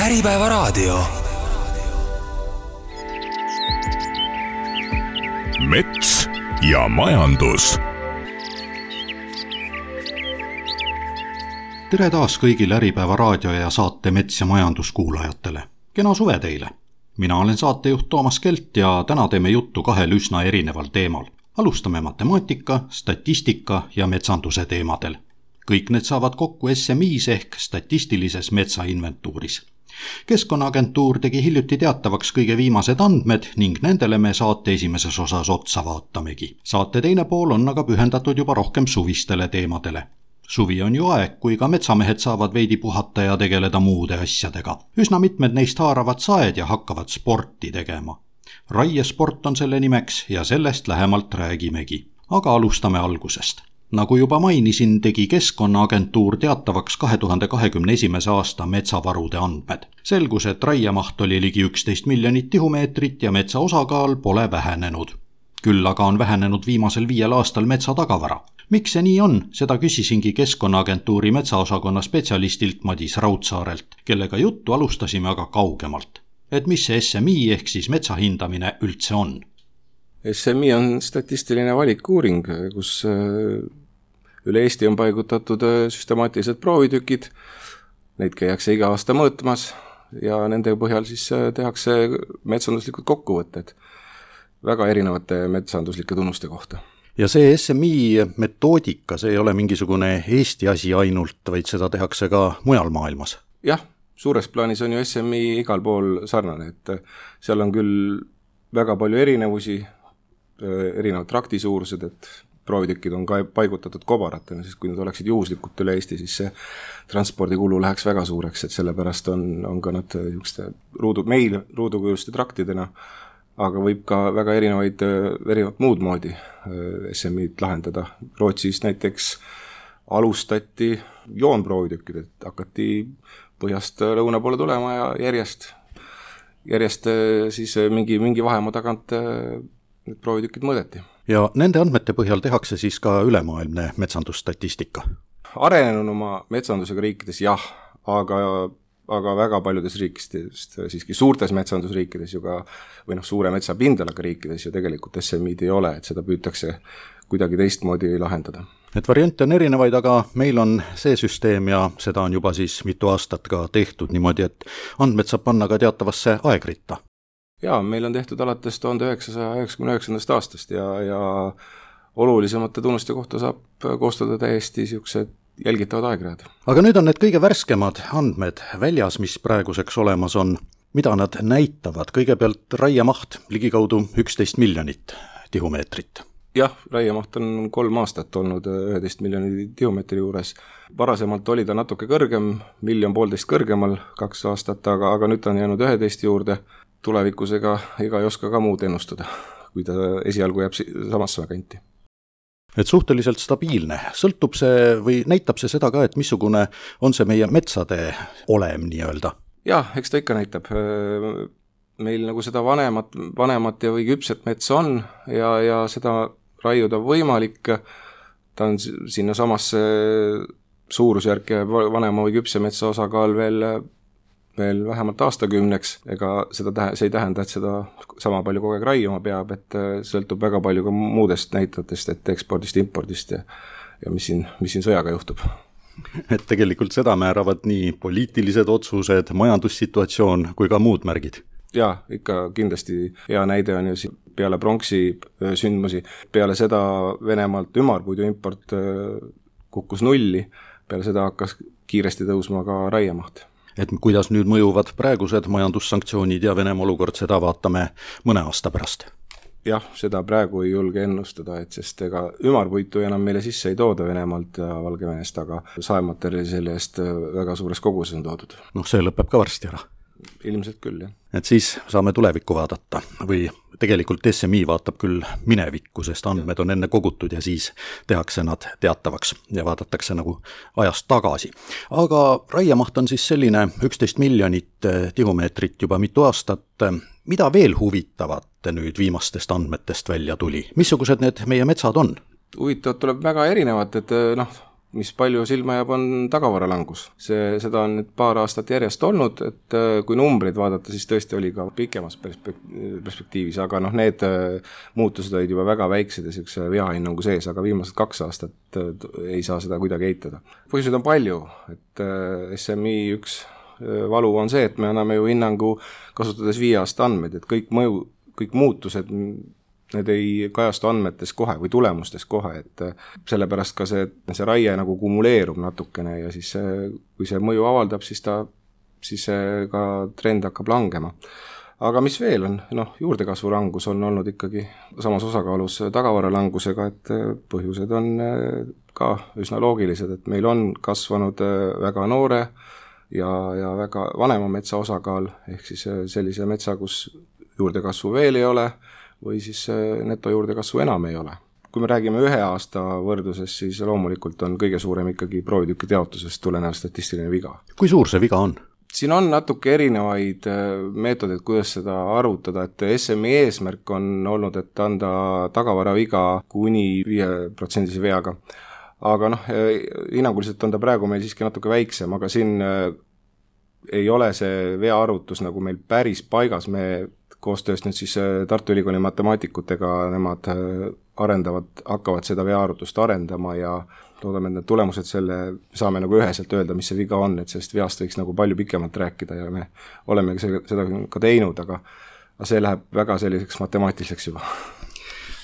Äripäevaraadio. Mets ja majandus. Tere taas kõigile Äripäevaraadio ja saate Mets ja majandus kuulajatele. Kena suve teile! Mina olen saatejuht Toomas Kelt ja täna teeme juttu kahel üsna erineval teemal. Alustame matemaatika, statistika ja metsanduse teemadel. Kõik need saavad kokku SMIs ehk statistilises metsainventuuris. Keskkonnaagentuur tegi hiljuti teatavaks kõige viimased andmed ning nendele me saate esimeses osas otsa vaatamegi. Saate teine pool on aga pühendatud juba rohkem suvistele teemadele. Suvi on ju aeg, kui ka metsamehed saavad veidi puhata ja tegeleda muude asjadega. Üsna mitmed neist haaravad saed ja hakkavad sporti tegema. Raiesport on selle nimeks ja sellest lähemalt räägimegi. Aga alustame algusest. Nagu juba mainisin, tegi Keskkonnaagentuur teatavaks 2021. aasta metsavarude andmed. Selgus, et raiemaht oli ligi 11 miljonit tihumeetrit ja metsa osakaal pole vähenenud. Küll aga on vähenenud viimasel 5 aastal metsa tagavara. Miks see nii on, seda küsisingi Keskkonnaagentuuri metsaosakonna spetsialistilt Madis Raudsaarelt, kellega juttu alustasime aga kaugemalt. Et mis see SMI ehk siis metsa hindamine üldse on? SMI on statistiline valikuuring, kus üle Eesti on paigutatud süstemaatilised proovitükid. Neid käiakse iga aasta mõõtmas ja nende põhjal siis tehakse metsanduslikud kokkuvõtted väga erinevate metsanduslike tunnuste kohta. Ja see SMI metoodika, see ei ole mingisugune Eesti asi ainult, vaid seda tehakse ka mujal maailmas. Jah, suures plaanis on ju SMI igal pool sarnane, et seal on küll väga palju erinevusi, erinevad traktisuurused, et proovitükid on ka paigutatud kobaratena, sest kui need oleksid juhuslikult üle Eesti, siis see transpordikulu läheks väga suureks, et sellepärast on ka nad meil ruudukujuste traktidena, aga võib ka väga erinevat muud moodi SMI-d lahendada. Rootsis näiteks alustati joonproovitükid, et hakati põhjast lõuna poole tulema ja järjest siis mingi vahemaa tagant need proovitükid mõõdeti. Ja nende andmete põhjal tehakse siis ka ülemaailmne metsandusstatistika? Arenenuma metsandusega riikides jah, aga väga paljudes riikides, siiski suurtes metsandusriikides ju ka, või suure metsapindalaga riikides ju tegelikult SMI-d ei ole, et seda püütakse kuidagi teistmoodi lahendada. Et variante on erinevaid, aga meil on see süsteem ja seda on juba siis mitu aastat ka tehtud niimoodi, et andmed saab panna ka teatavasse aegritta. Jaa, meil on tehtud alates 1999. aastast ja olulisemate tunnuste kohta saab koostada täiesti siuksed jälgitavad aegrajad. Aga nüüd on need kõige värskemad andmed väljas, mis praeguseks olemas on. Mida nad näitavad? Kõigepealt raiemaht ligikaudu 11 miljonit tihumeetrit. Jah, raiemaht on 3 aastat olnud 11 miljoni tihumeetri juures. Varasemalt oli ta natuke kõrgem, 1,5 miljonit kõrgemal 2 aastat, aga nüüd on jäänud 11 juurde. Tulevikus ega ei oska ka muud ennustada, kui ta esialgu jääb samasse kanti. Et suhteliselt stabiilne. Sõltub see või näitab see seda ka, et missugune on see meie metsade olem nii-öelda? Jah, eks ta ikka näitab. Meil nagu seda vanemat ja või küpset metsa on ja seda raiuda võimalik. Ta on sinna samasse suurusjärk ja vanema või küpse metsa osakaal veel vähemalt aastakümneks, ega see ei tähenda, et seda sama palju kogu aeg raiuma peab, et sõltub väga palju ka muudest näitajatest, et ekspordist, impordist ja mis siin sõjaga juhtub. Et tegelikult seda määravad nii poliitilised otsused, majandussituatsioon kui ka muud märgid. Jaa, ikka kindlasti hea näide on ju peale pronksi sündmusi. Peale seda Venemaalt ümarpuidu import kukkus nulli, peale seda hakkas kiiresti tõusma ka raiemaht. Et kuidas nüüd mõjuvad praegused majandussanktsioonid ja Venemaa olukord, seda vaatame mõne aasta pärast. Jah, seda praegu ei julge ennustada, sest ega ümarpuitu enam meile sisse ei tooda Venemaalt ja Valgevenest, aga saematerjali selle eest väga suures koguses on toodud. See lõpeb ka varsti ära. Ilmselt küll, jah. Et siis saame tulevikku vaadata või tegelikult SMI vaatab küll minevikku, sest andmed on enne kogutud ja siis tehakse nad teatavaks ja vaadatakse nagu ajast tagasi. Aga raiemaht on siis selline 11 miljonit tihumeetrit juba mitu aastat. Mida veel huvitavat nüüd viimastest andmetest välja tuli? Missugused need meie metsad on? Huvitavad tuleb väga erinevad, et mis palju silma jääb, on tagavaralangus. Seda on nüüd paar aastat järjest olnud, et kui numbreid vaadata, siis tõesti oli ka pikemas perspektiivis, aga need muutused olid juba väga väiksed ja sellise veahinnangu sees, aga viimased 2 aastat ei saa seda kuidagi eitada. Põhjuseid on palju, et SMI üks valu on see, et me anname ju hinnangu kasutades 5 aasta andmeid, et kõik muutused need ei kajastu andmetes kohe või tulemustes kohe, et sellepärast ka see raie nagu kumuleerub natukene ja siis kui see mõju avaldab, siis ka trend hakkab langema. Aga mis veel on? Juurdekasvu langus on olnud ikkagi samas osakaalus tagavaralangusega, et põhjused on ka üsna loogilised, et meil on kasvanud väga noore ja väga vanema metsa osakaal, ehk siis sellise metsa, kus juurdekasvu veel ei ole, või siis netojuurdekasvu enam ei ole. Kui me räägime 1 aasta võrdluses, siis loomulikult on kõige suurem ikkagi proovitükkide jaotusest tulenev statistiline viga. Kui suur see viga on? Siin on natuke erinevaid meetodeid, kuidas seda arvutada, et SMI eesmärk on olnud, et anda tagavaraviga kuni 5% veaga. Aga hinnanguliselt on ta praegu meil siiski natuke väiksem, aga siin ei ole see veaarvutus nagu meil päris paigas, me koostöös nüüd siis Tartu Ülikooli matemaatikutega, nemad hakkavad seda veaarvutust arendama ja loodame, et need tulemused saame nagu üheselt öelda, mis see viga on, et sellest veast võiks nagu palju pikemalt rääkida ja me oleme seda ka teinud, aga see läheb väga selliseks matemaatiliseks juba.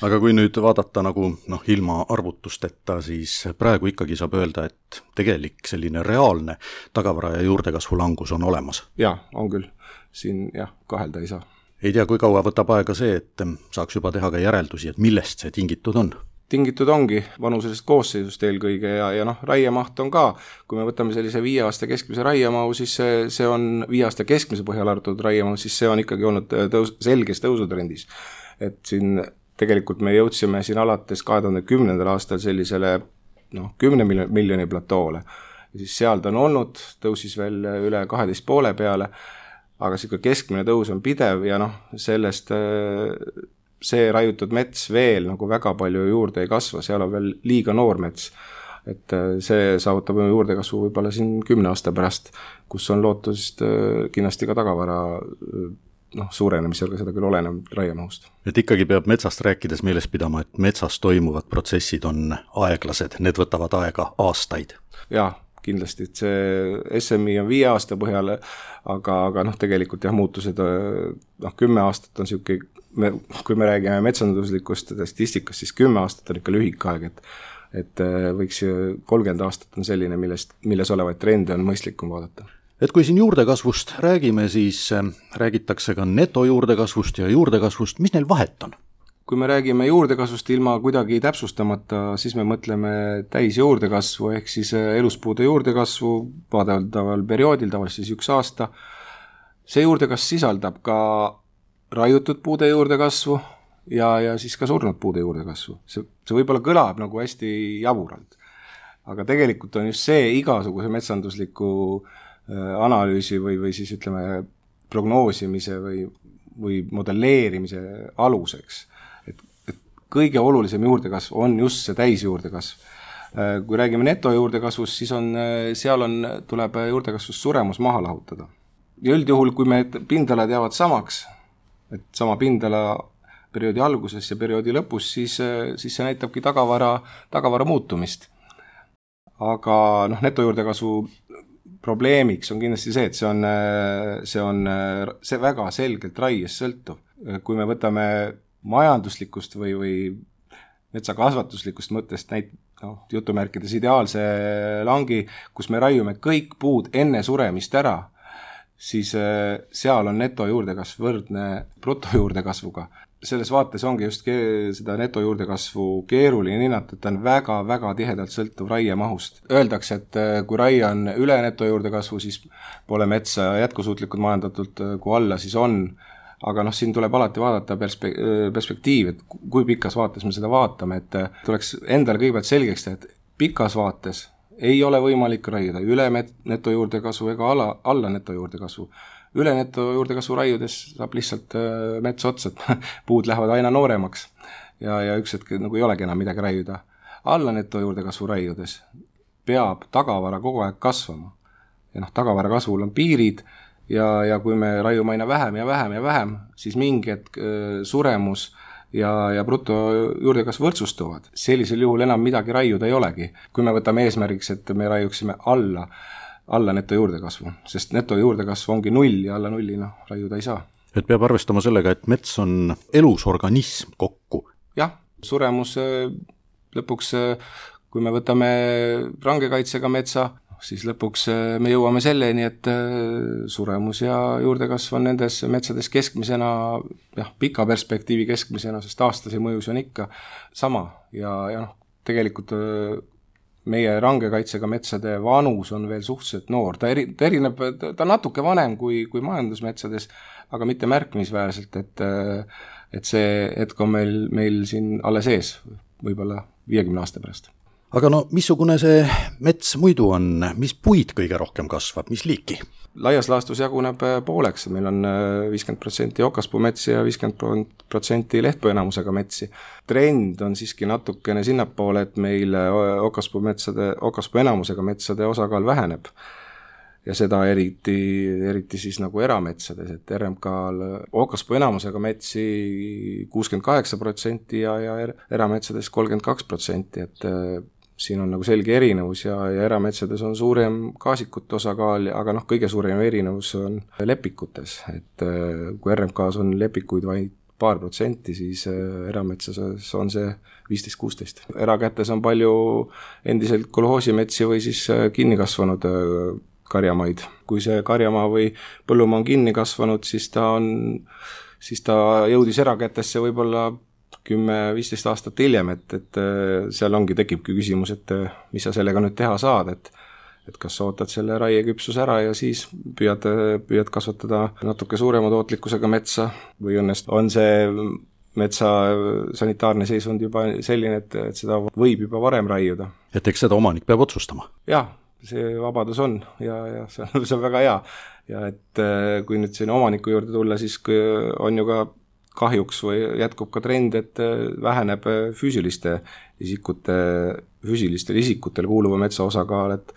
Aga kui nüüd vaadata nagu ilma arvutusteta, siis praegu ikkagi saab öelda, et tegelik selline reaalne tagavara ja juurdekasvu langus on olemas. Jaa, on küll. Siin kahelda ei saa. Ei tea, kui kaua võtab aega see, et saaks juba teha ka järeldusi, et millest see tingitud on? Tingitud ongi vanuselisest koosseisust eelkõige ja raiemaht on ka, kui me võtame sellise 5 aasta keskmise raiemahu, siis see on 5 aasta keskmise põhjal arvatud raiemahu, siis see on ikkagi olnud selges tõusutrendis. Et siin tegelikult me jõudsime siin alates 2010. aastal sellisele 10 miljoni platoole. Ja siis seal ta on olnud, tõusis veel üle 12,5 peale, aga see keskmine tõus on pidev ja sellest see raiutud mets veel nagu väga palju juurde ei kasva, seal on veel liiga noor mets. Et see saavutab juurdekasvu võib-olla siin 10 aasta pärast, kus on lootust kindlasti ka tagavara suurenemisel, seda küll oleneb raiemahust. Et ikkagi peab metsast rääkides meeles pidama, et metsas toimuvad protsessid on aeglased, need võtavad aega aastaid. Jaa, kindlasti, et see SMI on 5 aasta põhjal, aga tegelikult muutused 10 aastat on siuke, kui me räägime metsanduslikust statistikast, siis 10 aastat on ikka lühike aeg, et võiks 30 aastat on selline, milles olevaid trende on mõistlikum vaadata. Et kui siin juurdekasvust räägime, siis räägitakse ka netojuurdekasvust ja juurdekasvust, mis neil vahet on? Kui me räägime juurdekasvust ilma kuidagi täpsustamata, siis me mõtleme täisjuurdekasvu ehk siis eluspuude juurdekasvu vaadaval perioodil, tavaliselt siis 1 aasta. See juurdekasv sisaldab ka raiutud puude juurdekasvu ja siis ka surnud puude juurdekasvu. See võib-olla kõlab nagu hästi jaburalt, aga tegelikult on just see igasuguse metsandusliku analüüsi või siis ütleme prognoosimise või modelleerimise aluseks. Kõige olulisem juurdekasv on just see täisjuurdekasv. Kui räägime netojuurdekasvust, siis seal tuleb juurdekasvust suremus maha lahutada. Ja üldjuhul, kui me pindalad jäävad samaks, et sama pindala perioodi alguses ja perioodi lõpus, siis see näitabki tagavara muutumist. Aga netojuurdekasvu probleemiks on kindlasti see, et see on väga selgelt raiest sõltuv. Kui me võtame majanduslikust või metsakasvatuslikust mõttest jutumärkides ideaalse langi, kus me raiume kõik puud enne suremist ära, siis seal on netojuurdekasv võrdne brutojuurdekasvuga. Selles vaates ongi just seda netojuurdekasvu keeruline hinnata, et ta on väga-väga tihedalt sõltuv raiemahust. Öeldakse, et kui raie on üle netojuurdekasvu, siis pole metsa jätkusuutlikult majandatult, kui alla, siis on. Aga siin tuleb alati vaadata perspektiiv, et kui pikas vaates me seda vaatame, et tuleks endale kõigepealt selgeks teha, et pikas vaates ei ole võimalik raiuda üle netojuurdekasvu ega alla netojuurdekasvu. Üle netojuurdekasvu raiudes saab lihtsalt mets otsad, puud lähevad aina nooremaks ja üks hetk nagu ei olegi enam midagi raiuda. Alla netojuurdekasvu raiudes peab tagavara kogu aeg kasvama. Ja tagavara kasvul on piirid ja kui me raiume aina vähem ja vähem ja vähem, siis mingi hetk suremus ja bruto juurdekasv võrdsustuvad. Sellisel juhul enam midagi raiuda ei olegi. Kui me võtame eesmärgiks, et me raiuksime alla neto juurdekasvu, sest neto juurdekasv ongi 0 ja alla 0 raiuda ei saa. Et peab arvestama sellega, et mets on elus organism kokku. Jah, suremus lõpuks, kui me võtame rangekaitsega metsa, siis lõpuks me jõuame selleni, et suremus ja juurdekasv on nendes metsades keskmisena, pika perspektiivi keskmisena, sest aastase mõjus on ikka sama. Ja tegelikult meie rangekaitsega metsade vanus on veel suhteliselt noor. Ta erineb, ta natuke vanem kui majandusmetsades, aga mitte märkimisväärselt, et see hetk on meil siin alles ees, võib-olla 50 aasta pärast. Aga missugune see mets muidu on, mis puid kõige rohkem kasvab, mis liiki? Laias laastus jaguneb pooleks, meil on 50% okaspuumetsi ja 50% lehtpuuenamusega metsi. Trend on siiski natukene sinnapoole, et meil okaspuuenamusega metsade osakaal väheneb. Ja seda eriti siis nagu erametsades, et RMK-l okaspuuenamusega metsi 68% ja erametsades 32%, et siin on nagu selge erinevus ja erametsades on suurem kaasikute osakaal, aga kõige suurem erinevus on lepikutes, et kui RMK-s on lepikuid vaid paar protsenti, siis erametsas on see 15-16. Erakätes on palju endiselt kolhoosimetsi või siis kinni kasvanud karjamaid. Kui see karjamaa või põllumaa on kinni kasvanud, siis ta jõudis erakätesse võib-olla 10-15 aastat hiljem, et seal tekibki küsimus, et mis sa sellega nüüd teha saad, et kas sa ootad selle raieküpsus ära ja siis püüad kasvatada natuke suurema tootlikkusega metsa või õnnest on see metsa sanitaarne seisund juba selline, et seda võib juba varem raiuda. Et eks seda omanik peab otsustama? Jah, see vabadus on ja see on väga hea. Ja et kui nüüd siin omaniku juurde tulla, siis on ju ka kahjuks või jätkub ka trend, et väheneb füüsilistele isikutele kuuluva metsa osakaal, et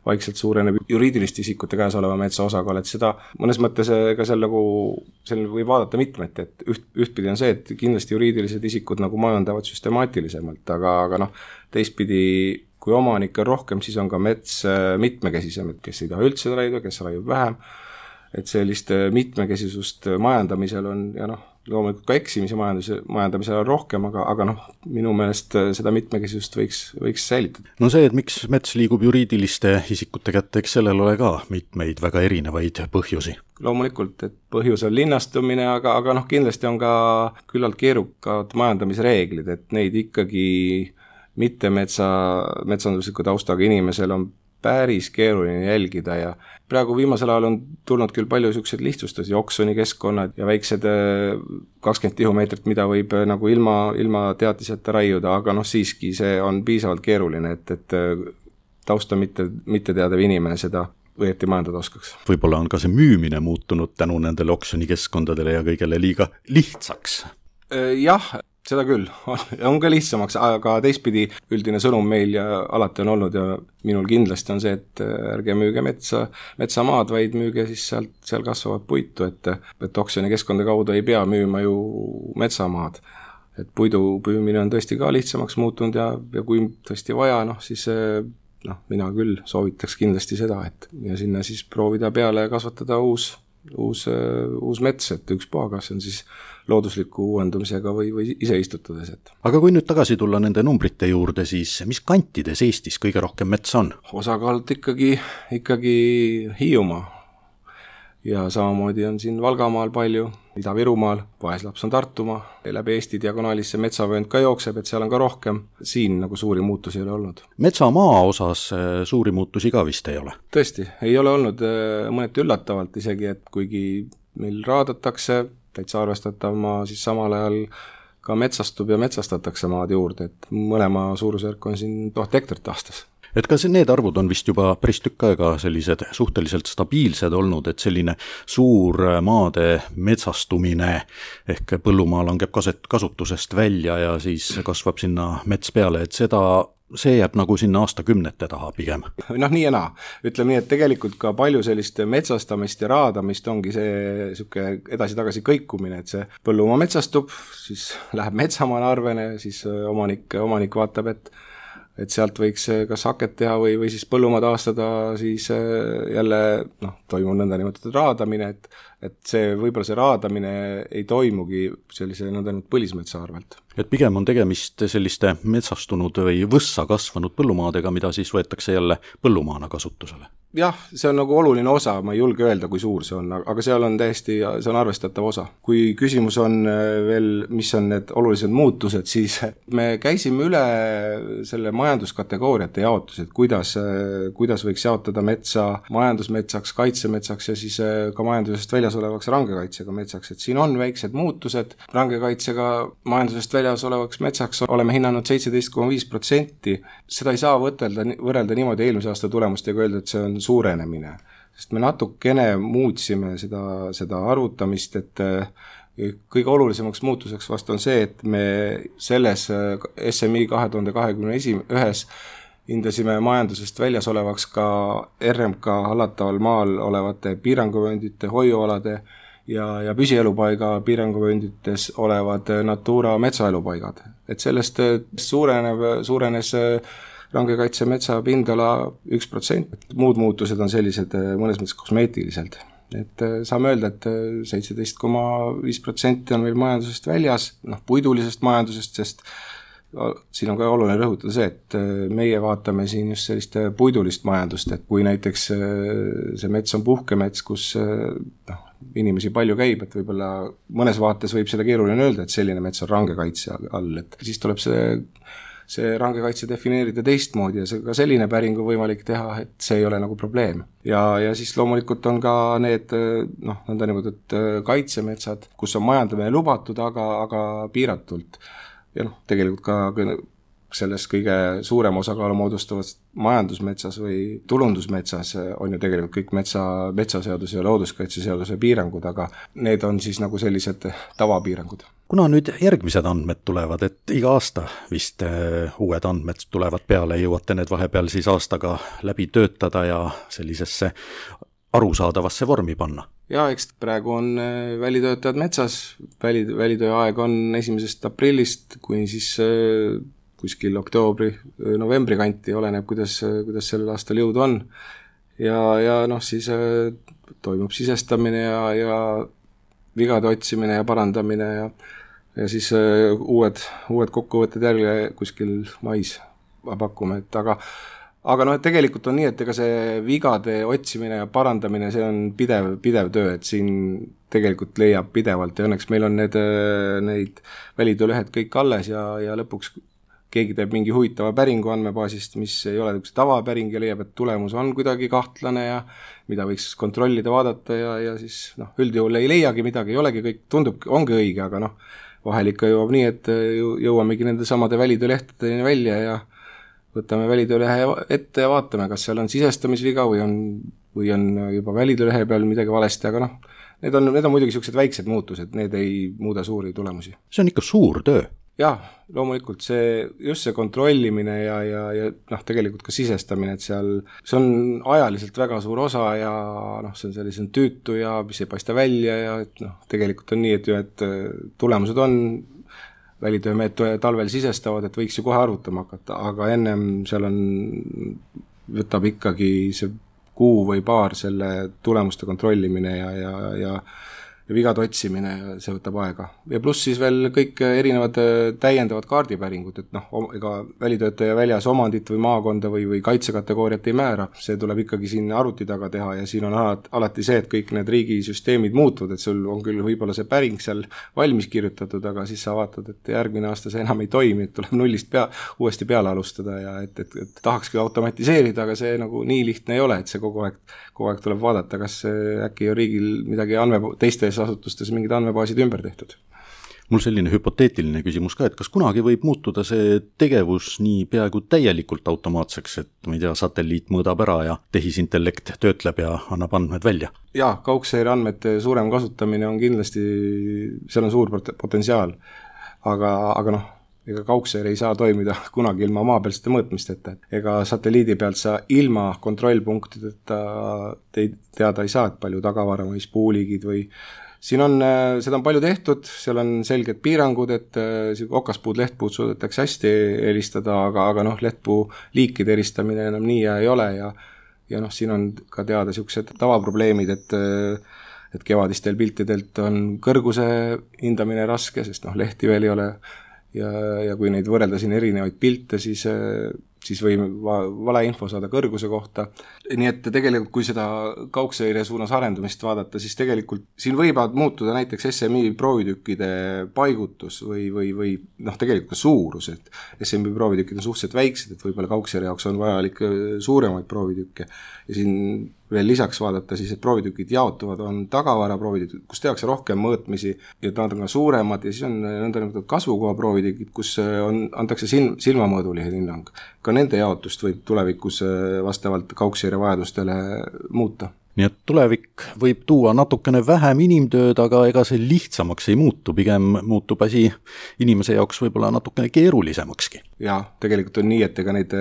vaikselt suureneb juriidiliste isikute käes oleva metsa osakaal, et seda mõnes mõttes ka seal võib vaadata mitmeti, et ühtpidi on see, et kindlasti juriidilised isikud nagu majandavad süstemaatilisemalt, aga teistpidi, kui omanik on rohkem, siis on ka mets mitmekesisem, et kes ei taha üldse raiuda, kes raiub vähem, et sellist mitmekesisust majandamisel on ja loomulikult ka eksimise majandamisel on rohkem, aga minu meelest seda mitmekesisust võiks säilitada. See, et miks mets liigub juriidiliste isikute kätte, eks sellel ole ka mitmeid väga erinevaid põhjusi. Loomulikult, et põhjus on linnastumine, aga kindlasti on ka küllalt keerukad majandamisreeglid, et neid ikkagi mitte metsandusliku taustaga inimesel on päris keeruline jälgida ja praegu viimasel ajal on tulnud küll palju selliseid lihtsustusi, oksoni keskkonnad ja väiksed 20 tihumeetrit, mida võib nagu ilma teatiseta raiuda, aga siiski see on piisavalt keeruline, et tausta mitte teadav inimene seda õieti majandada oskaks. Võib-olla on ka see müümine muutunud tänu nendele oksoni keskkondadele ja kõigele liiga lihtsaks? Jah, seda küll, on ka lihtsamaks, aga teistpidi üldine sõnum meil ja alati on olnud ja minul kindlasti on see, et ärge müüge metsamaad, vaid müüge siis seal kasvavat puitu, et oksjoni keskkonda kaudu ei pea müüma ju metsamaad. Et puidu püümine on tõesti ka lihtsamaks muutunud ja kui tõesti vaja, siis mina küll soovitaks kindlasti seda, et ja sinna siis proovida peale kasvatada uus mets, et ükspuha, kas on siis loodusliku uuendumisega või ise istutades. Aga kui nüüd tagasi tulla nende numbrite juurde, siis mis kantides Eestis kõige rohkem metsa on? Osakaalt ikkagi Hiiumaa ja samamoodi on siin Valgamaal palju, Ida-Virumaal, vaeslaps on Tartumaa, läbi Eesti diagonaalis see metsavöönd ka jookseb, et seal on ka rohkem, siin nagu suuri muutusi ei ole olnud. Metsamaa osas suuri muutusi ka vist ei ole? Tõesti, ei ole olnud mõneti üllatavalt isegi, et kuigi meil raadatakse, täitsa arvestatav maa, siis samal ajal ka metsastub ja metsastatakse maad juurde, et mõlema suurusjärk on siin 1000 hektarit aastas. Et kas need arvud on vist juba päris tükk aega sellised suhteliselt stabiilsed olnud, et selline suur maade metsastumine ehk põllumaa langeb kasutusest välja ja siis kasvab sinna mets peale, et seda see jääb nagu sinna aastakümnete taha pigem. Nii ja naa. Ütleme nii, et tegelikult ka palju sellist metsastamist ja raadamist ongi see siuke edasi-tagasi kõikumine, et see põllumaa metsastub, siis läheb metsamaale arvene, siis omanik vaatab, et sealt võiks kas haket teha või siis põllumaa taastada, siis jälle toimub nõnda nimetatud raadamine, et see võib-olla see raadamine ei toimugi sellise nõnda põlismetsa arvelt. Et pigem on tegemist selliste metsastunud või võssa kasvanud põllumaadega, mida siis võetakse jälle põllumaana kasutusele. Jah, see on nagu oluline osa, ma ei julge öelda, kui suur see on, aga seal on täiesti, see on arvestatav osa. Kui küsimus on veel, mis on need olulised muutused, siis me käisime üle selle majanduskategooriate jaotused, kuidas võiks jaotada metsa majandusmetsaks, kaitsemetsaks ja siis ka majandusest väljas olevaks rangekaitsega metsaks, et siin on väiksed muutused. Rangekaitsega majandusest väljas olevaks metsaks oleme hinnanud 17,5%. Seda ei saa võrrelda niimoodi eelmise aasta tulemustega öelda, et see on suurenemine, sest me natukene muutsime seda arvutamist, et kõige olulisemaks muutuseks vast on see, et me selles SMI 2021 hindasime majandusest väljas olevaks ka RMK hallataval maal olevate piiranguvööndite, hoiualade ja püsielupaiga piiranguvööndites olevad Natura metsaelupaigad. Et sellest suurenes rangekaitse metsa pindala 1%. Muud muutused on sellised mõnes mõttes kosmeetiliselt. Et saame öelda, et 17,5% on meil majandusest väljas, puidulisest majandusest, sest siin on ka oluline rõhutada see, et meie vaatame siin just sellist puidulist majandust, et kui näiteks see mets on puhkemets, kus inimesi palju käib, et võib-olla mõnes vaates võib seda keeruline öelda, et selline mets on rangekaitse all, et siis tuleb see rangekaitse defineerida teistmoodi ja ka selline päring on võimalik teha, et see ei ole nagu probleem. Ja siis loomulikult on ka need nõnda nimetatud kaitsemetsad, kus on majandamine lubatud, aga piiratult. Ja tegelikult ka selles kõige suurem osakaalu moodustavast majandusmetsas või tulundusmetsas on ju tegelikult kõik metsaseaduse ja looduskaitseseaduse piirangud, aga need on siis nagu sellised tavapiirangud. Kuna nüüd järgmised andmed tulevad, et iga aasta vist uued andmed tulevad peale, jõuate need vahepeal siis aastaga läbi töötada ja sellisesse arusaadavasse vormi panna? Ja eks praegu on välitöötajad metsas, välitöö aeg on 1. aprillist kuni siis kuskil oktoobri-novembri kanti, oleneb, kuidas sellel aastal jõud on. Ja siis toimub sisestamine ja vigade otsimine ja parandamine ja siis uued kokkuvõtted jälle kuskil mais pakume, et aga tegelikult on nii, et ega see vigade otsimine ja parandamine, see on pidev töö, et siin tegelikult leiab pidevalt ja õnneks meil on neid välitöölehed kõik alles ja lõpuks keegi teeb mingi huvitava päringu andmebaasist, mis ei ole tavapäring ja leiab, et tulemus on kuidagi kahtlane ja mida võiks kontrollida, vaadata ja siis üldjuhul ei leiagi midagi, ei olegi, kõik tundub, ongi õige, aga vahel ikka jõuab nii, et jõuamegi nende samade välitöölehtedeni välja ja võtame välitöölehe ette ja vaatame, kas seal on sisestamisviga või on juba välitöölehe peal midagi valesti, aga need on muidugi sellised väiksed muutused, need ei muuda suuri tulemusi. See on ikka suur töö. Jah, loomulikult just see kontrollimine ja tegelikult ka sisestamine, et see on ajaliselt väga suur osa ja see on sellisem tüütu ja mis ei paista välja ja tegelikult on nii, et tulemused on välitöömehed talvel sisestavad, et võiks ju kohe arvutama hakata, aga ennem seal võtab ikkagi see kuu või paar selle tulemuste kontrollimine ja vigade otsimine ja see võtab aega. Ja pluss siis veel kõik erinevad täiendavad kaardipäringud, et ega välitöötaja väljas omandit või maakonda või kaitsekategooriat ei määra, see tuleb ikkagi siin arvuti taga teha ja siin on alati see, et kõik need riigisüsteemid muutuvad, et sul on küll võib-olla see päring seal valmis kirjutatud, aga siis sa vaatad, et järgmine aasta see enam ei toimi, et tuleb nullist uuesti peale alustada ja et tahakski automatiseerida, aga see nagu nii lihtne ei ole, et see kogu aeg tuleb vaadata, kas äkki on riigil midagi teistes asutustes mingid andmebaasid ümber tehtud. Mul selline hüpoteetiline küsimus ka, et kas kunagi võib muutuda see tegevus nii peaaegu täielikult automaatseks, et ma ei tea, satelliit mõõdab ära ja tehisintellekt töötleb ja annab andmed välja? Jaa, kaugseire andmete suurem kasutamine on kindlasti, seal on suur potentsiaal, aga ega kaugseire ei saa toimida kunagi ilma maapealsete mõõtmisteta. Ega satelliidi pealt sa ilma kontrollpunktideta teada ei saa, et palju tagavara või spuuligid või siin on, seda on palju tehtud, seal on selged piirangud, et okaspuud, lehtpuud suudetakse hästi eristada, aga lehtpuu liikide eristamine enam nii ei ole ja siin on ka teada niisugused tavaprobleemid, et kevadistel piltidelt on kõrguse hindamine raske, sest lehti veel ei ole ja kui neid võrrelda siin erinevaid pilte, siis võib valeinfo saada kõrguse kohta. Nii et tegelikult, kui seda kaugseire suunas arendumist vaadata, siis tegelikult siin võivad muutuda näiteks SMI proovitükkide paigutus või tegelikult ka suurus, et SMI proovitükid on suhteliselt väiksed, et võib-olla kaugseire jaoks on vajalik suuremaid proovitükke. Ja siin veel lisaks vaadata, siis et proovitükid jaotuvad, on tagavara proovitükid, kus tehakse rohkem mõõtmisi ja nad on ka suuremad ja siis on nõndanimetatud kasvukoha proovitükid, kus antakse silmamõõdulised hinnang. Ka nende jaotust võib tulevikus vastavalt kaugseire vajadustele muuta. Nii et tulevik võib tuua natukene vähem inimtööd, aga ega see lihtsamaks ei muutu, pigem muutub asi inimese jaoks võib-olla natukene keerulisemakski. Ja tegelikult on nii, et ega neid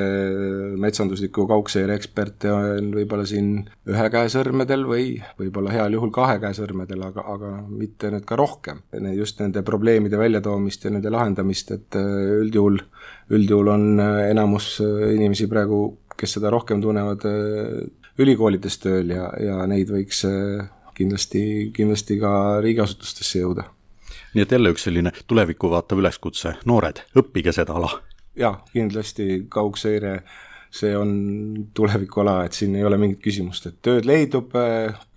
metsandusliku kaugseire eksperte on võib-olla siin 1 käe sõrmedel või võib-olla heal juhul 2 käe sõrmedel, aga mitte nüüd ka rohkem. Just nende probleemide väljatoomist ja nende lahendamist, et üldjuhul on enamus inimesi praegu, kes seda rohkem tunnevad ülikoolides tööl ja neid võiks kindlasti ka riigiasutustesse jõuda. Nii et jälle üks selline tulevikku vaatav üleskutse, noored, õppige seda ala. Ja, kindlasti kaugseire, see on tulevikuala, et siin ei ole mingit küsimust, et tööd leidub,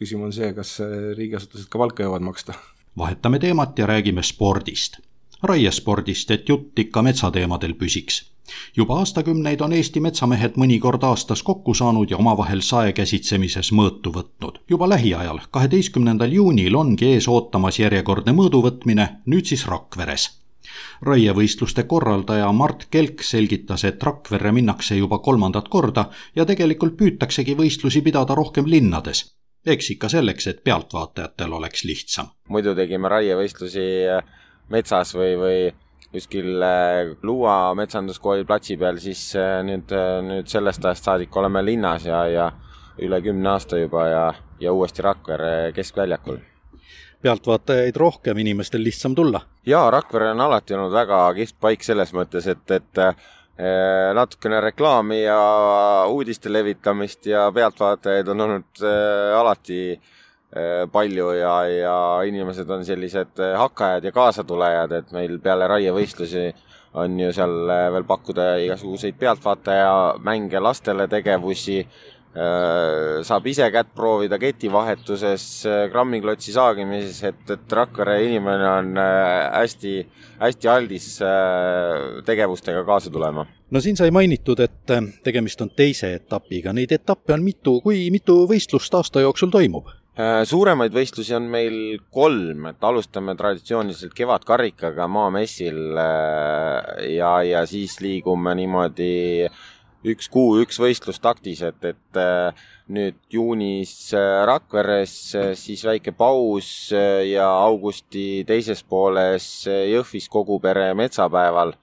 küsimus on see, kas riigiasutused ka palka jõuavad maksta. Vahetame teemat ja räägime spordist. Raiespordist, et jutt ikka metsateemadel püsiks. Juba aastakümneid on Eesti metsamehed mõnikord aastas kokku saanud ja omavahel saekäsitsemises mõõtu võtnud. Juba lähiajal, 12. juunil ongi ees ootamas järjekordne mõõduvõtmine, nüüd siis Rakveres. Raievõistluste korraldaja Mart Kelk selgitas, et Rakverre minnakse juba 3. korda ja tegelikult püütaksegi võistlusi pidada rohkem linnades. Eks ikka selleks, et pealtvaatajatel oleks lihtsam. Muidu tegime raievõistlusi metsas või kuskil Luua metsanduskooli platsi peal, siis nüüd sellest ajast saadik oleme linnas ja üle 10 aasta juba ja uuesti Rakvere keskväljakul. Pealtvaatajaid rohkem, inimestel lihtsam tulla? Jaa, Rakvere on alati olnud väga kihvt paik selles mõttes, et natukene reklaami ja uudiste levitamist ja pealtvaatajaid on olnud alati palju ja inimesed on sellised hakkajad ja kaasatulejad, et meil peale raievõistlusi on ju seal veel pakkuda igasuguseid pealtvaataja mänge lastele tegevusi, saab ise kätt proovida ketivahetuses, grammiklotsi saagimises, et Rakvere inimene on hästi aldis tegevustega kaasa tulema. No siin sai mainitud, et tegemist on teise etapiga. Neid etappe on kui mitu võistlust aasta jooksul toimub? Suuremaid võistlusi on meil 3, et alustame traditsiooniliselt kevadkarikaga maamessil ja siis liigume niimoodi 1 kuu, 1 võistlus taktis, et nüüd juunis Rakveres, siis väike paus ja augusti teises pooles Jõhvis kogu pere metsapäeval.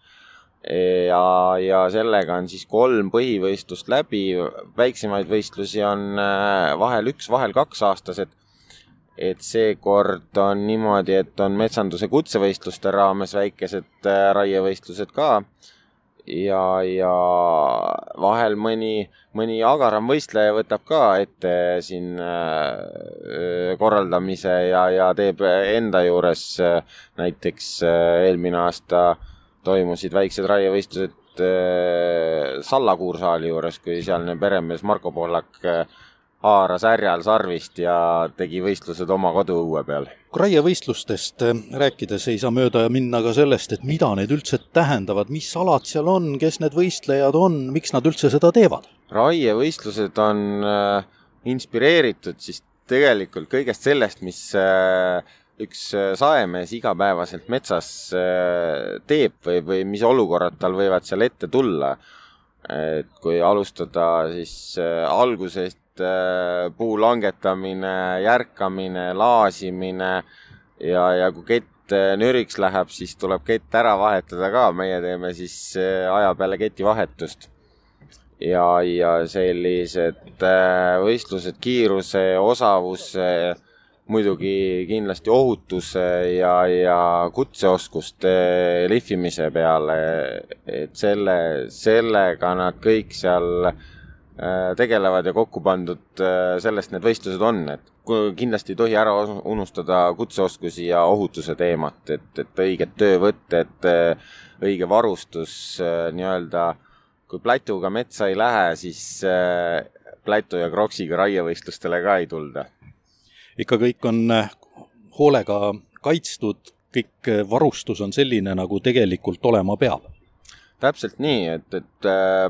Ja sellega on siis 3 põhivõistlust läbi, väiksemaid võistlusi on vahel 1, vahel 2 aastased, et seekord on niimoodi, et on metsanduse kutsevõistluste raames väikesed raievõistlused ka ja vahel mõni agaram võistleja võtab ka ette siin korraldamise ja teeb enda juures, näiteks eelmine aasta toimusid väiksed raievõistlused Sallakuursaali juures, kui sealne peremees Marko Pohlak haaras härjal sarvist ja tegi võistlused oma koduõue peal. Raievõistlustest rääkides ei saa mööda minna ka sellest, et mida need üldse tähendavad, mis alad seal on, kes need võistlejad on, miks nad üldse seda teevad? Raievõistlused on inspireeritud siis tegelikult kõigest sellest, mis üks saemees igapäevaselt metsas teeb või mis olukorrad tal võivad seal ette tulla. Et kui alustada siis algusest puu langetamine, järkamine, laasimine ja kui kett nüriks läheb, siis tuleb kett ära vahetada ka, meie teeme siis aja peale ketivahetust. Ja sellised võistlused, kiiruse, osavuse, muidugi kindlasti ohutuse ja kutseoskuste lihvimise peale, et sellega nad kõik seal tegelevad ja kokku pandud, sellest need võistlused on, et kindlasti ei tohi ära unustada kutseoskusi ja ohutuse teemat, et õiged töövõtted, õige varustus nii-öelda, kui plätuga metsa ei lähe, siis plätu ja kroksiga raievõistlustele ka ei tulda. Ikka kõik on hoolega kaitstud, kõik varustus on selline, nagu tegelikult olema peab. Täpselt nii, et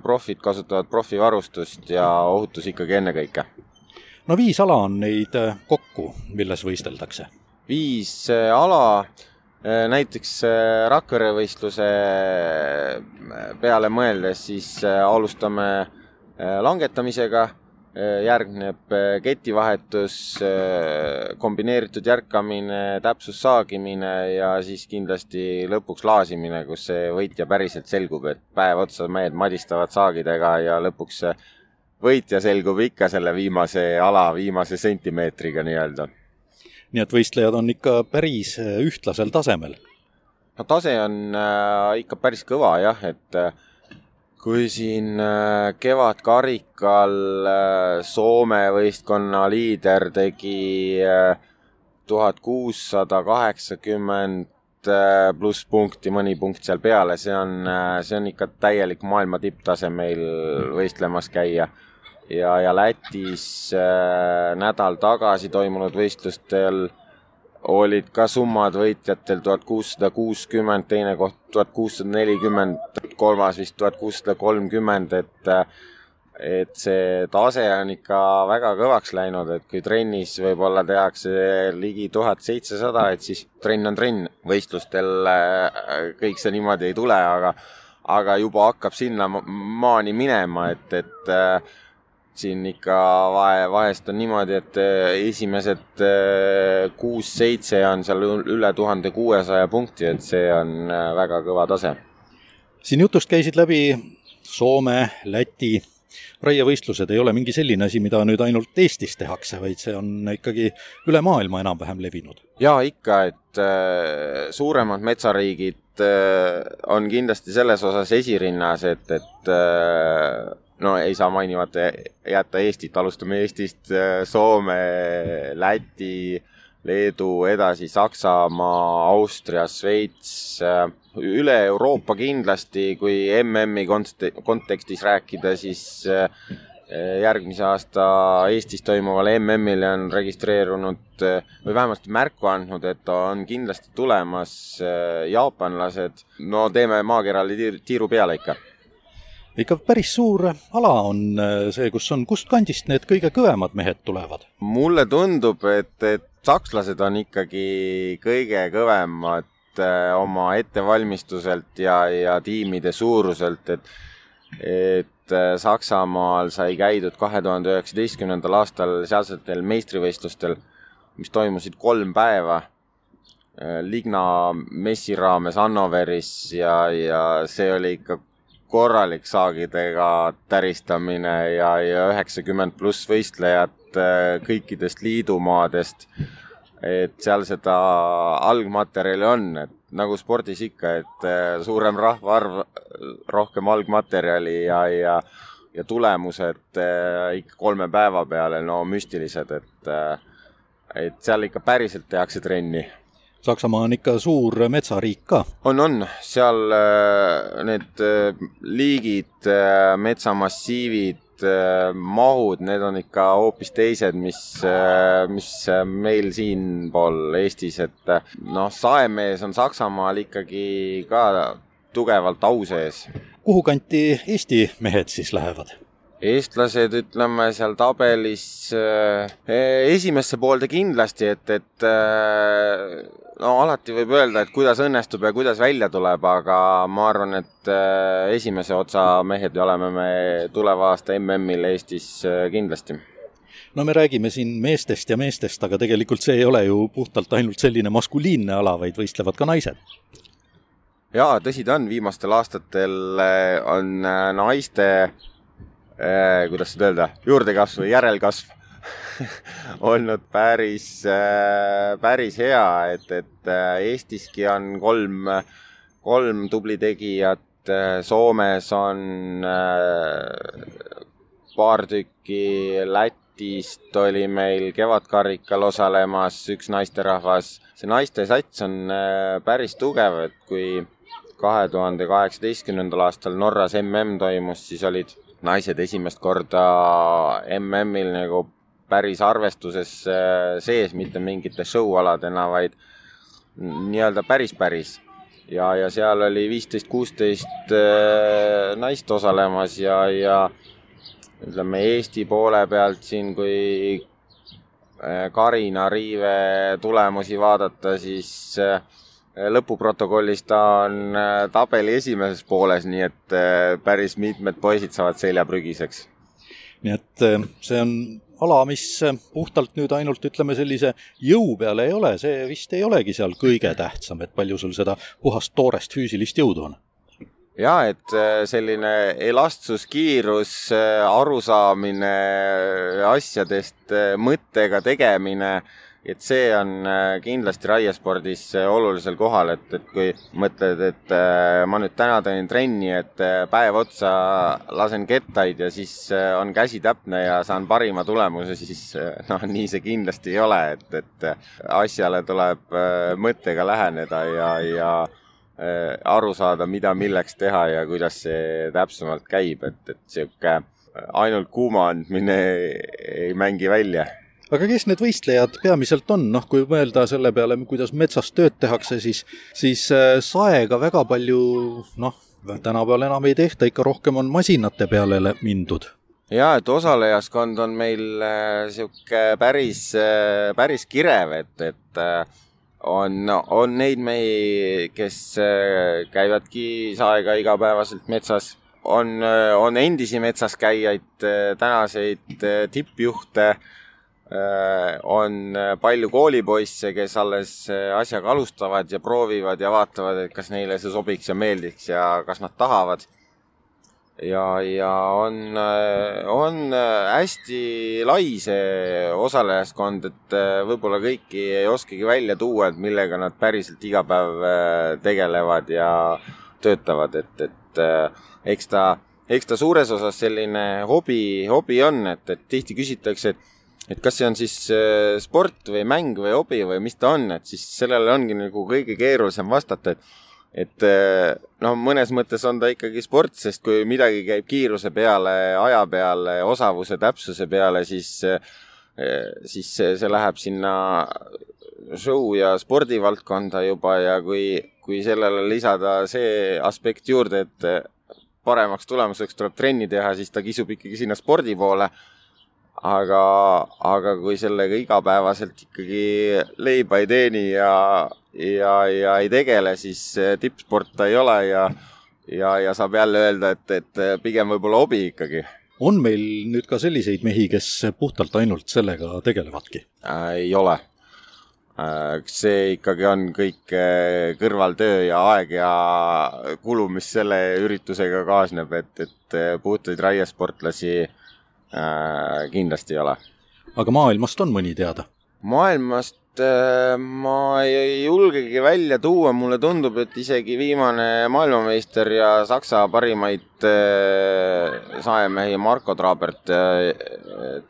profid kasutavad profivarustust ja ohutus ikkagi ennekõike. No 5 ala on neid kokku, milles võisteldakse? 5 ala, näiteks Rakvere võistluse peale mõeldes, siis alustame langetamisega, järgneb ketivahetus, kombineeritud järkamine, täpsussaagimine ja siis kindlasti lõpuks laasimine, kus see võitja päriselt selgub, et päev otsa mehed madistavad saagidega ja lõpuks võitja selgub ikka selle viimase ala, viimase sentimeetriga nii-öelda. Nii et võistlejad on ikka päris ühtlasel tasemel? No tase on ikka päris kõva jah, et kui siin kevadkarikal Soome võistkonna liider tegi 1680 pluss punkti, mõni punkt seal peale, see on ikka täielik maailma tipptase meil võistlemas käia. Ja Lätis nädal tagasi toimunud võistlustel olid ka summad võitjatel 1660, teine koht 1640, kolmas vist 1630, et see tase on ikka väga kõvaks läinud, et kui trennis võib-olla tehakse ligi 1700, et siis trenn on trenn. Võistlustel kõik see niimoodi ei tule, aga juba hakkab sinna maani minema, et siin ikka vahest on niimoodi, et esimesed 6-7 on seal üle 1600 punkti, et see on väga kõva tase. Siin jutust käisid läbi Soome, Läti. Raievõistlused ei ole mingi selline asi, mida nüüd ainult Eestis tehakse, vaid see on ikkagi üle maailma enam-vähem levinud. Ja ikka, et suuremad metsariigid on kindlasti selles osas esirinnas, et no ei saa mainimata jätta Eestit, alustame Eestist, Soome, Läti, Leedu, edasi Saksamaa, Austria, Sveits, üle Euroopa kindlasti, kui MM-i kontekstis rääkida, siis järgmise aasta Eestis toimuval MM-il on registreerunud või vähemasti märku andnud, et on kindlasti tulemas jaapanlased. No teeme maakerale tiiru peale ikka. Ikka päris suur ala on see, kust kandist need kõige kõvemad mehed tulevad? Mulle tundub, et sakslased on ikkagi kõige kõvemad oma ettevalmistuselt ja tiimide suuruselt, et Saksamaal sai käidud 2019. aastal sealsetel meistrivõistlustel, mis toimusid 3 päeva Ligna messi raames Hannoveris ja see oli ikka korralik saagidega täristamine ja 90 pluss võistlejad kõikidest liidumaadest, et seal seda algmaterjali on, et nagu spordis ikka, et suurem rahvaarv, rohkem algmaterjali ja tulemused ikka 3 päeva peale, no müstilised, et seal ikka päriselt tehakse trenni. Saksamaa on ikka suur metsariik ka. On. Seal need liigid, metsamassiivid, mahud, need on ikka hoopis teised, mis meil siin pool Eestis, et saemees on Saksamaal ikkagi ka tugevalt au sees. Kuhu kanti Eesti mehed siis lähevad? Eestlased, ütleme, seal tabelis esimesse poolde kindlasti, et alati võib öelda, et kuidas õnnestub ja kuidas välja tuleb, aga ma arvan, et esimese otsa mehed oleme me tuleva aasta MM-il Eestis kindlasti. no me räägime siin meestest ja meestest, aga tegelikult see ei ole ju puhtalt ainult selline maskuliinne ala, vaid võistlevad ka naised. Jaa, tõsi ta on, viimastel aastatel on naiste, kuidas seda öelda, juurdekasv või järelkasv olnud päris hea, et Eestiski on kolm tubli tegijat, Soomes on paar tükki, Lätist oli meil kevadkarikal osalemas üks naisterahvas. See naiste sats on päris tugev, et kui 2018. aastal Norras toimus, siis olid naised esimest korda MM-il nagu päris arvestuses sees, mitte mingite show-aladena, vaid nii-öelda päris. Ja seal oli 15-16 naist osalemas ja ütleme Eesti poole pealt siin, kui Karina Riive tulemusi vaadata, siis lõpuprotokollis ta on tabeli esimeses pooles, nii et päris mitmed poisid saavad seljaprügiseks. Nii et see on ala, mis puhtalt nüüd ainult ütleme sellise jõu peale ei ole, see vist ei olegi seal kõige tähtsam, et palju sul seda puhast toorest füüsilist jõudu on. Jaa, et selline elastsus, kiirus, arusaamine asjadest, mõttega tegemine, et see on kindlasti raiespordis olulisel kohal, et kui mõtled, et ma nüüd täna teen trenni, et päev otsa lasen kettaid ja siis on käsi täpne ja saan parima tulemuse, siis nii see kindlasti ei ole, et asjale tuleb mõttega läheneda ja aru saada, mida milleks teha ja kuidas see täpsemalt käib, et siuke ainult kuuma andmine ei mängi välja. Aga kes need võistlejad peamiselt on? Kui mõelda selle peale, kuidas metsas tööd tehakse, siis saega väga palju, tänapäeval enam ei tehta, ikka rohkem on masinate peale mindud. Jaa, et osalejaskond on meil siuke päris kirev, et on neid mehi, kes käivadki saega igapäevaselt metsas. On endisi metsas käijaid, tänaseid tippjuhte, on palju koolipoisse, kes alles asjaga alustavad ja proovivad ja vaatavad, et kas neile see sobiks ja meeldiks ja kas nad tahavad. Ja on hästi lai see osalejaskond, et võib-olla kõiki ei oskagi välja tuua, et millega nad päriselt iga päev tegelevad ja töötavad, et eks ta suures osas selline hobi on, et tihti küsitakse, et kas see on siis sport või mäng või hobi või mis ta on, et siis sellele ongi nagu kõige keerulisem vastata, et mõnes mõttes on ta ikkagi sport, sest kui midagi käib kiiruse peale, aja peale, osavuse, täpsuse peale, siis see läheb sinna show ja spordivaldkonda juba ja kui sellele lisada see aspekt juurde, et paremaks tulemuseks tuleb trenni teha, siis ta kisub ikkagi sinna spordi poole. Aga kui sellega igapäevaselt ikkagi leiba ei teeni ja ei tegele, siis tippsport ta ei ole ja saab jälle öelda, et pigem võib-olla hobi ikkagi. On meil nüüd ka selliseid mehi, kes puhtalt ainult sellega tegelevadki? Ei ole. See ikkagi on kõik kõrvaltöö ja aeg ja kulu, mis selle üritusega kaasneb, et puhtaid raiesportlasi kindlasti ei ole. Aga maailmast on mõni teada? Maailmast ma ei julgegi välja tuua, mulle tundub, et isegi viimane maailmameister ja Saksa parimaid saemehi Marko Trabert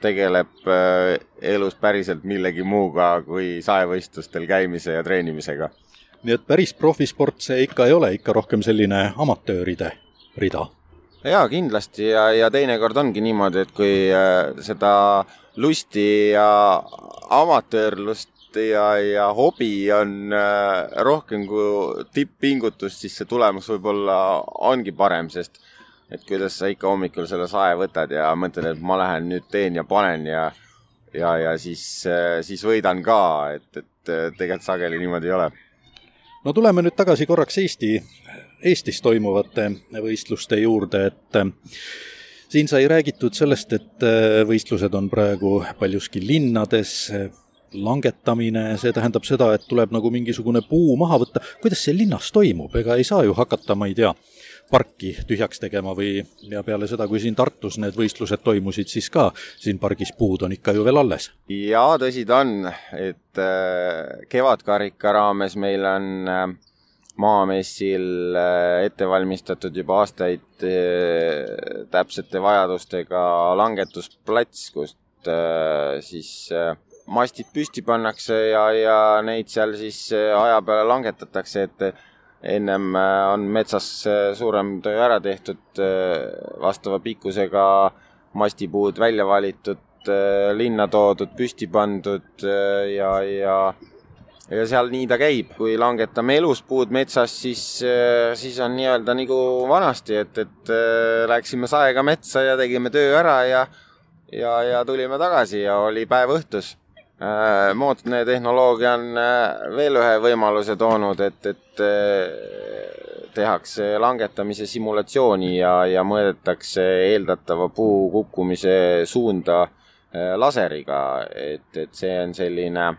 tegeleb elus päriselt millegi muuga kui saevõistlustel käimise ja treenimisega. Nii et päris profisport see ikka ei ole, ikka rohkem selline amatööride rida? Jaa, kindlasti ja teinekord ongi niimoodi, et kui seda lusti ja amatöörlust ja hobi on rohkem kui tipp-pingutus, siis see tulemus võib-olla ongi parem, sest et kuidas sa ikka hommikul selle sae võtad ja mõtled, et ma lähen nüüd teen ja panen ja siis võidan ka, et tegelikult sageli niimoodi ei ole. No tuleme nüüd tagasi korraks Eestis toimuvate võistluste juurde, et Siin sai räägitud sellest, et võistlused on praegu paljuski linnades, langetamine, see tähendab seda, et tuleb nagu mingisugune puu maha võtta. Kuidas see linnas toimub? Ega ei saa ju hakata, ma ei tea, parki tühjaks tegema või ja peale seda, kui siin Tartus need võistlused toimusid, siis ka siin pargis puud on ikka ju veel alles. Jaa, tõsi ta on, et kevadkarika raames meil on Maamessil ette valmistatud juba aastaid täpsete vajadustega langetusplats, kust siis mastid püsti pannakse ja neid seal siis aja peale langetatakse, et ennem on metsas suurem töö ära tehtud, vastava pikkusega mastipuud välja valitud, linna toodud, püsti pandud ja seal nii ta käib. Kui langetame eluspuud metsas, siis on nii-öelda nagu vanasti, et läksime saega metsa ja tegime töö ära ja tulime tagasi ja oli päev õhtus. Moodne tehnoloogia on veel ühe võimaluse toonud, et tehakse langetamise simulatsiooni ja mõõdetakse eeldatava puu kukkumise suunda laseriga, et see on selline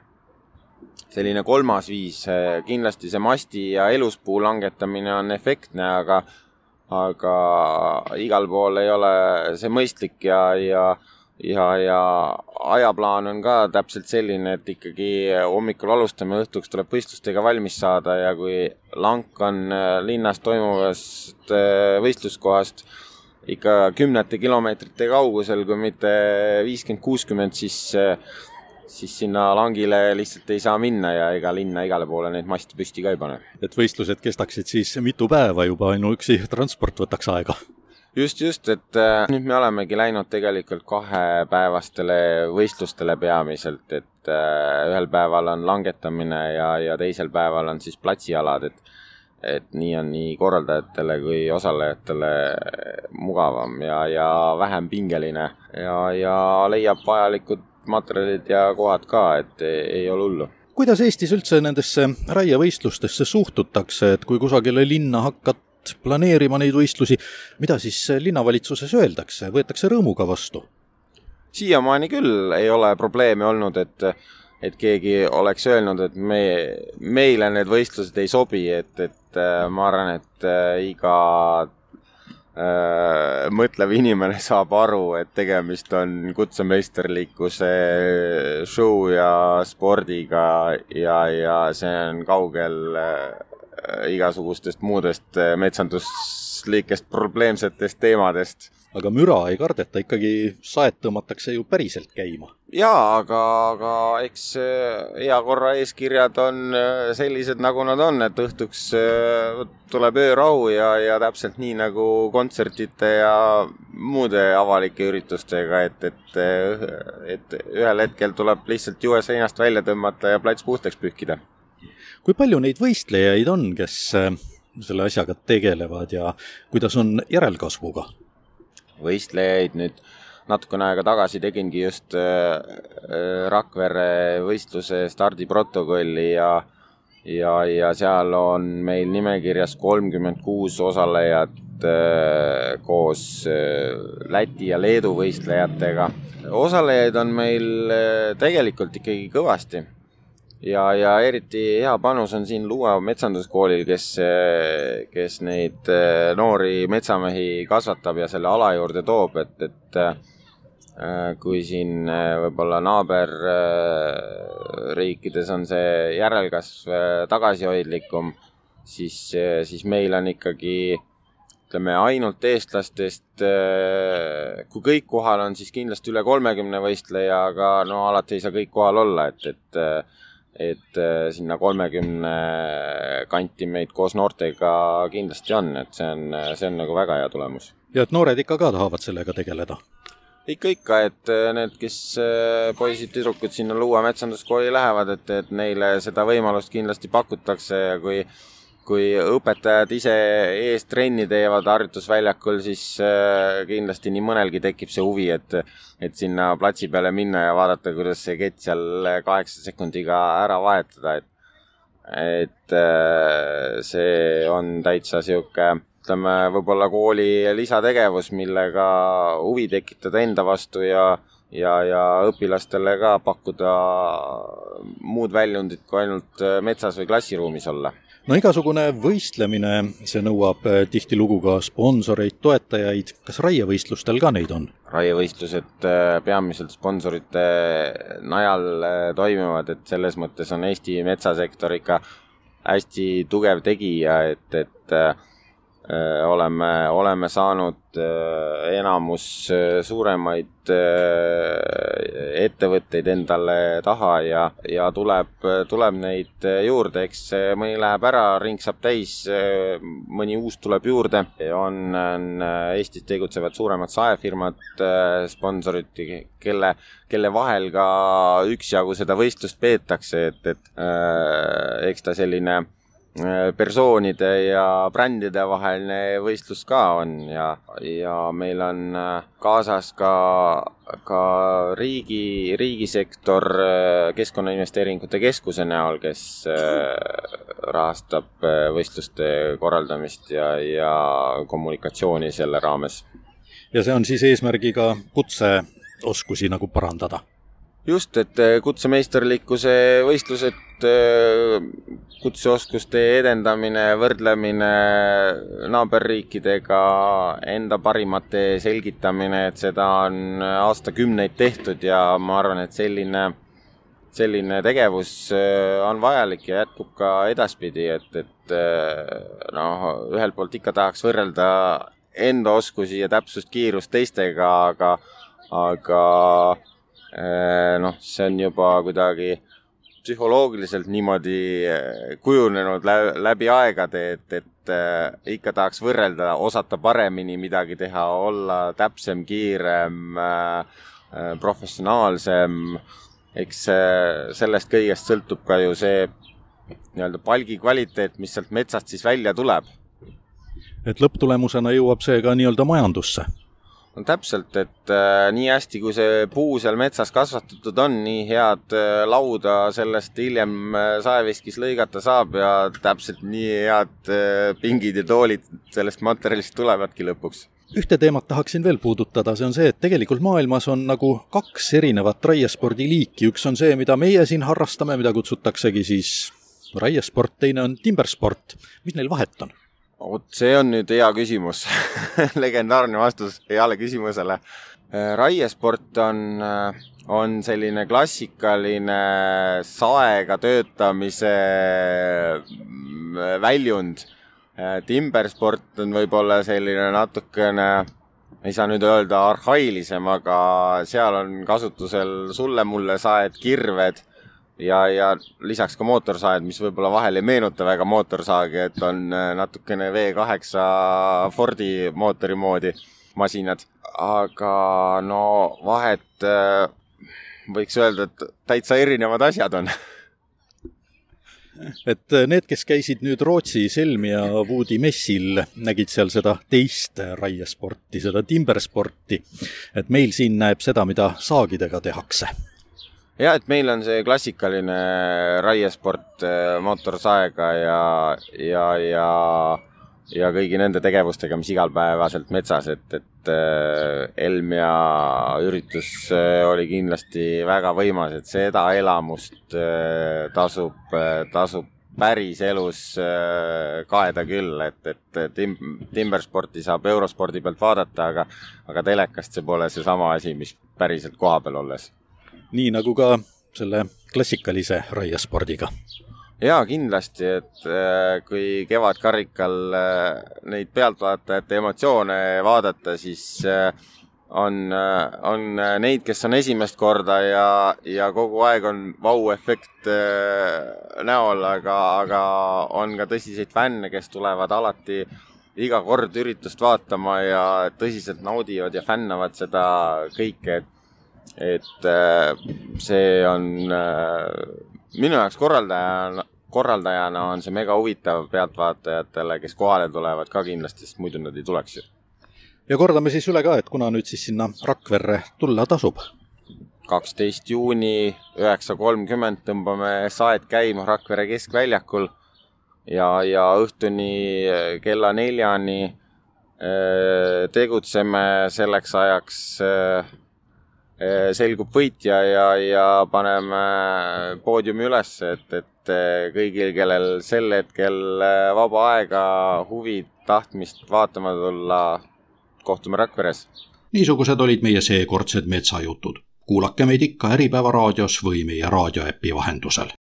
kolmas viis. Kindlasti see masti ja eluspuu langetamine on efektne, aga igal pool ei ole see mõistlik ja ajaplaan on ka täpselt selline, et ikkagi hommikul alustame, õhtuks tuleb võistlustega valmis saada ja kui lank on linnas toimuvast võistluskohast ikka 10 kilomeetrite kaugusel, kui mitte 50-60, siis sinna langile lihtsalt ei saa minna ja ega linna igale poole neid maste püsti ka ei pane. Et võistlused kestaksid siis mitu päeva juba, ainuüksi transport võtaks aega. Just, et nüüd me olemegi läinud tegelikult 2-päevastele võistlustele peamiselt, et ühel päeval on langetamine ja teisel päeval on siis platsialad, et nii on nii korraldajatele kui osalejatele mugavam ja vähem pingeline ja leiab vajalikud materjalid ja kohad ka, et ei ole hullu. Kuidas Eestis üldse nendesse raievõistlustesse suhtutakse, et kui kusagile linna hakkad planeerima neid võistlusi, mida siis linnavalitsuses öeldakse, võetakse rõõmuga vastu? Siiamaani küll ei ole probleemi olnud, et keegi oleks öelnud, et meile need võistlused ei sobi, et ma arvan, et iga mõtlev inimene saab aru, et tegemist on kutsemeisterlikkuse show ja spordiga ja see on kaugel igasugustest muudest metsanduslikest probleemsetest teemadest. Aga müra ei kardeta, ikkagi saed tõmmatakse ju päriselt käima. Jaa, aga eks hea korra eeskirjad on sellised, nagu nad on, et õhtuks tuleb öörahu ja täpselt nii nagu kontsertide ja muude avalike üritustega, et ühel hetkel tuleb lihtsalt juhe seinast välja tõmmata ja plats puhtaks pühkida. Kui palju neid võistlejaid on, kes selle asjaga tegelevad ja kuidas on järelkasvuga? Võistlejaid nüüd natukene aega tagasi tegingi just Rakvere võistluse stardiprotokolli ja seal on meil nimekirjas 36 osalejat koos Läti ja Leedu võistlejatega. Osalejaid on meil tegelikult ikkagi kõvasti. Ja eriti hea panus on siin Luua metsanduskoolil, kes neid noori metsamehi kasvatab ja selle ala juurde toob, et kui siin võib-olla naaberriikides on see järelkasv tagasihoidlikum, siis meil on ikkagi ainult eestlastest, kui kõik kohal on, siis kindlasti üle 30 võistleja, aga no alati ei saa kõik kohal olla, et sinna 30 kanti meid koos noortega kindlasti on, et see on nagu väga hea tulemus. Ja et noored ikka ka tahavad sellega tegeleda? Ikka, et need, kes poisid-tüdrukud sinna Luua metsanduskooli lähevad, et neile seda võimalust kindlasti pakutakse ja kui õpetajad ise ees trenni teevad harjutusväljakul, siis kindlasti nii mõnelgi tekib see huvi, et sinna platsi peale minna ja vaadata, kuidas see kett seal 8 sekundiga ära vahetada. Et see on täitsa siuke ütleme, võib-olla kooli lisategevus, millega huvi tekitada enda vastu ja õpilastele ka pakkuda muud väljundit kui ainult metsas või klassiruumis olla. No igasugune võistlemine, see nõuab tihtilugu ka sponsoreid, toetajaid. Kas raievõistlustel ka neid on? Raievõistlused peamiselt sponsorite najal toimivad, et selles mõttes on Eesti metsasektor ikka hästi tugev tegija, et oleme saanud enamus suuremaid ettevõtteid endale taha ja tuleb neid juurde, eks mõni läheb ära, ring saab täis, mõni uus tuleb juurde. On Eestis tegutsevad suuremad saefirmad, sponsorid, kelle vahel ka üksjagu seda võistlust peetakse, et eks ta selline persoonide ja brändide vaheline võistlus ka on ja meil on kaasas ka riigisektor Keskkonnainvesteeringute Keskuse näol, kes rahastab võistluste korraldamist ja kommunikatsiooni selle raames. Ja see on siis eesmärgiga kutseoskusi nagu parandada? Just, et kutsemeisterlikkuse võistlused, kutseoskuste edendamine, võrdlemine naaberriikidega, enda parimate selgitamine, et seda on aastakümneid tehtud ja ma arvan, et selline tegevus on vajalik ja jätkub ka edaspidi, et ühelt poolt ikka tahaks võrrelda enda oskusi ja täpsust kiirust teistega, aga see on juba kuidagi psühholoogiliselt niimoodi kujunenud läbi aegade, et ikka tahaks võrrelda, osata paremini midagi teha, olla täpsem, kiirem, professionaalsem. Eks sellest kõigest sõltub ka ju see nii-öelda palgi kvaliteet, mis sealt metsast siis välja tuleb. Et lõpptulemusena jõuab see ka nii-öelda majandusse? No täpselt, et nii hästi, kui see puu seal metsas kasvatatud on, nii head lauda sellest hiljem saeviskis lõigata saab ja täpselt nii head pingid ja toolid sellest materjalist tulevadki lõpuks. Ühte teemat tahaksin veel puudutada, see on see, et tegelikult maailmas on nagu 2 erinevat raiespordiliiki. Üks on see, mida meie siin harrastame, mida kutsutaksegi siis raiesport, teine on timbersport. Mis neil vahet on? See on nüüd hea küsimus. Legendaarne vastus heale küsimusele. Raiesport on selline klassikaline saega töötamise väljund. Timbersport on võib-olla selline natukene, ei saa nüüd öelda arhailisem, aga seal on kasutusel sulle-mulle saed, kirved ja lisaks ka mootorsaed, mis võib-olla vahel ei meenuta väga mootorsaagi, et on natukene V8 Fordi mootori moodi masinad. Aga vahet võiks öelda, et täitsa erinevad asjad on. Et need, kes käisid nüüd Rootsi Selmi ja Woodi messil, nägid seal seda teist raiesporti, seda timbersporti. Et meil siin näeb seda, mida saagidega tehakse. Ja, et meil on see klassikaline raiesport mootorsaega ja kõigi nende tegevustega, mis igalpäevaselt metsas, et Elmia üritus oli kindlasti väga võimas, et seda elamust tasub päris elus kaeda küll, et timbersporti saab Eurospordi pealt vaadata, aga telekast see pole see sama asi, mis päriselt koha peal olles. Nii nagu ka selle klassikalise raiespordiga. Jaa, kindlasti, et kui kevadkarikal neid pealtvaatajate emotsioone vaadata, siis on neid, kes on esimest korda ja kogu aeg on vau-efekt näol, aga on ka tõsiseid fänne, kes tulevad alati iga kord üritust vaatama ja tõsiselt naudivad ja fännavad seda kõike, et see on minu jaoks korraldajana on see mega huvitav pealtvaatajatele, kes kohale tulevad ka kindlasti, sest muidu nad ei tuleks ju. Ja kordame siis üle ka, et kuna nüüd siis sinna Rakverre tulla tasub? 12. juuni 9.30 tõmbame saed käima Rakvere keskväljakul. ja õhtuni kella 4-ni tegutseme selleks ajaks, selgub võitja ja paneme poodiumi üles, et kõigil, kellel sel hetkel vaba aega, huvi, tahtmist vaatama tulla, kohtume Rakveres. Niisugused olid meie seekordsed metsajutud. Kuulake meid ikka Äripäeva raadios või meie raadioäpi vahendusel.